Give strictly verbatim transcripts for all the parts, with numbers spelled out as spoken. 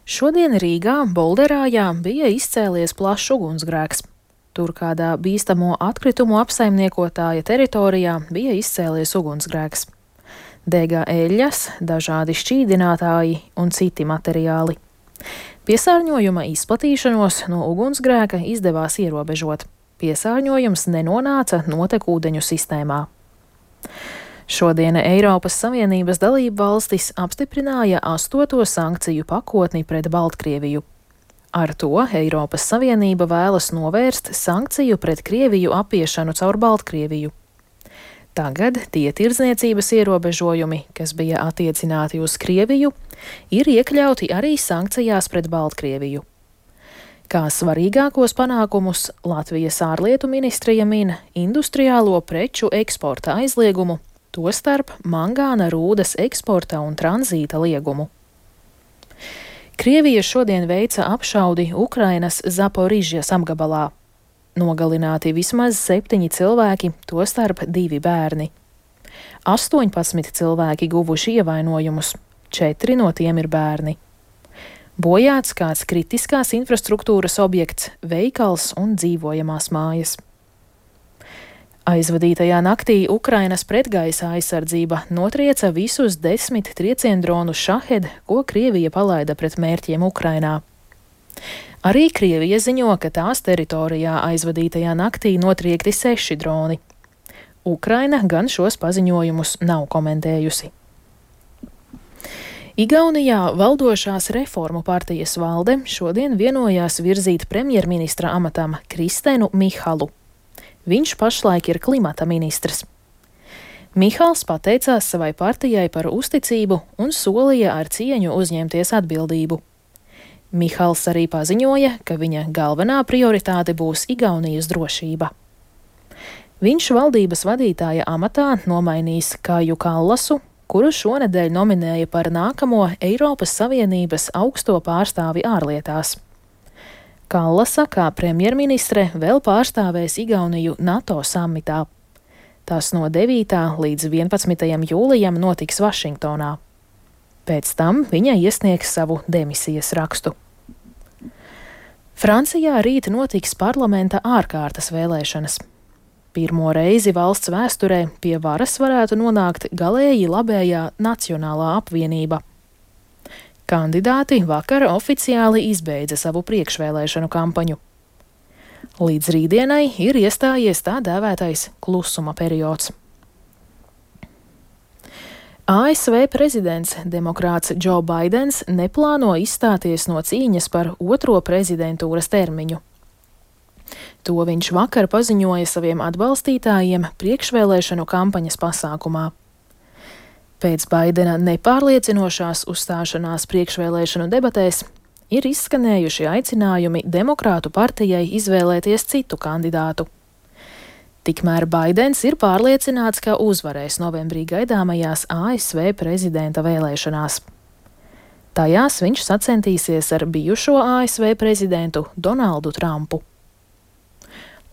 Šodien Rīgā, Bolderājā, bija izcēlies plašs ugunsgrēks. Tur kādā bīstamo atkritumu apsaimniekotāja teritorijā bija izcēlies ugunsgrēks. Dega eļļas, dažādi šķīdinātāji un citi materiāli. Piesārņojuma izplatīšanos no ugunsgrēka izdevās ierobežot. Piesārņojums nenonāca notekūdeņu sistēmā. Šodien Eiropas Savienības dalību valstis apstiprināja astoto sankciju pakotni pret Baltkrieviju. Ar to Eiropas Savienība vēlas novērst sankciju pret Krieviju apiešanu caur Baltkrieviju. Tagad tie tirdzniecības ierobežojumi, kas bija attiecināti uz Krieviju, ir iekļauti arī sankcijās pret Baltkrieviju. Kā svarīgākos panākumus Latvijas ārlietu ministrija min industriālo preču eksporta aizliegumu, tostarp mangāna rūdas eksporta un tranzīta liegumu. Krievija šodien veica apšaudi Ukrainas Zaporižjas apgabalā. Nogalināti vismaz septiņi cilvēki, tostarp divi bērni. astoņpadsmit cilvēki guvuši ievainojumus, četri no tiem ir bērni. Bojāts kāds kritiskās infrastruktūras objekts, veikals un dzīvojamās mājas. Aizvadītajā naktī Ukrainas pretgaisa aizsardzība notrieca visus desmit trieciendronus Šahed, ko Krievija palaida pret mērķiem Ukrainā. Arī Krievija ziņo, ka tās teritorijā aizvadītajā naktī notriekti seši droni. Ukraina gan šos paziņojumus nav komentējusi. Igaunijā valdošās Reformu partijas valde šodien vienojās virzīt premjerministra amatam Kristenu Mihalu. Viņš pašlaik ir klimata ministrs. Mihals pateicās savai partijai par uzticību un solīja ar cieņu uzņemties atbildību. Mihals arī paziņoja, ka viņa galvenā prioritāte būs Igaunijas drošība. Viņš valdības vadītāja amatā nomainīs Kaju Kallasu, kuru šonedēļ nominēja par nākamo Eiropas Savienības augsto pārstāvi ārlietās. Kallasa kā premjerministre vēl pārstāvēs Igauniju NATO samitā. Tas no devītā līdz vienpadsmitajam jūlijam notiks Vašingtonā. Pēc tam viņa iesniegs savu demisijas rakstu. Francijā rīt notiks parlamenta ārkārtas vēlēšanas. Pirmo reizi valsts vēsturē pie varas varētu nonākt galēji labējā Nacionālā apvienība. Kandidāti vakar oficiāli izbeidza savu priekšvēlēšanu kampaņu. Līdz rītdienai ir iestājies tā dēvētais klusuma periods. A S V prezidents, demokrāts Džo Baidens, neplāno izstāties no cīņas par otro prezidentūras termiņu. To viņš vakar paziņoja saviem atbalstītājiem priekšvēlēšanu kampaņas pasākumā. Pēc Baidena nepārliecinošās uzstāšanās priekšvēlēšanu debatēs ir izskanējuši aicinājumi Demokrātu partijai izvēlēties citu kandidātu. Tikmēr Baidens ir pārliecināts, ka uzvarēs novembrī gaidāmajās A S V prezidenta vēlēšanās. Tajās viņš sacentīsies ar bijušo A S V prezidentu Donaldu Trumpu.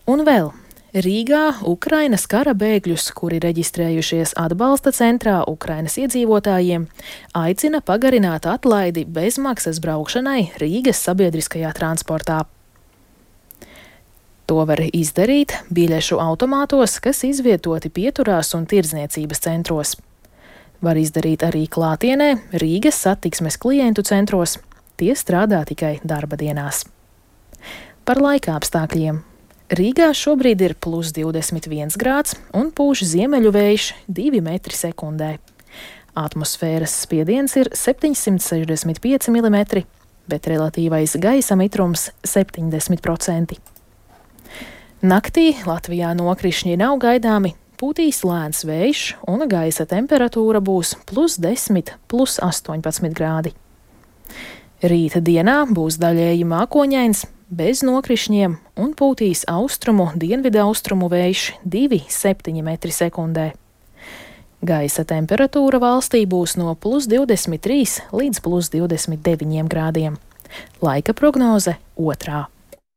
Un vēl. Rīgā Ukrainas kara bēgļus, kuri reģistrējušies atbalsta centrā Ukrainas iedzīvotājiem, aicina pagarināt atlaidi bezmaksas braukšanai Rīgas sabiedriskajā transportā. To var izdarīt biļešu automātos, kas izvietoti pieturās un tirdzniecības centros. Var izdarīt arī klātienē Rīgas satiksmes klientu centros, tie strādā tikai darba dienās. Par laika apstākļiem. Rīgā šobrīd ir plus divdesmit viens grāds un pūš ziemeļu vējš divi metri sekundē. Atmosfēras spiediens ir septiņsimt sešdesmit pieci milimetri, bet relatīvais gaisa mitrums septiņdesmit procenti. Naktī Latvijā nokrišņi nav gaidāmi, pūtīs lēns vējš un gaisa temperatūra būs plus desmit, plus astoņpadsmit grādi. Rīta dienā būs daļēji mākoņains, bez nokrišņiem un pūtīs austrumu, dienvidaustrumu vējš divi līdz septiņi metri sekundē. Gaisa temperatūra valstī būs no plus divdesmit trīs līdz plus divdesmit deviņiem grādiem. Laika prognoze otrā.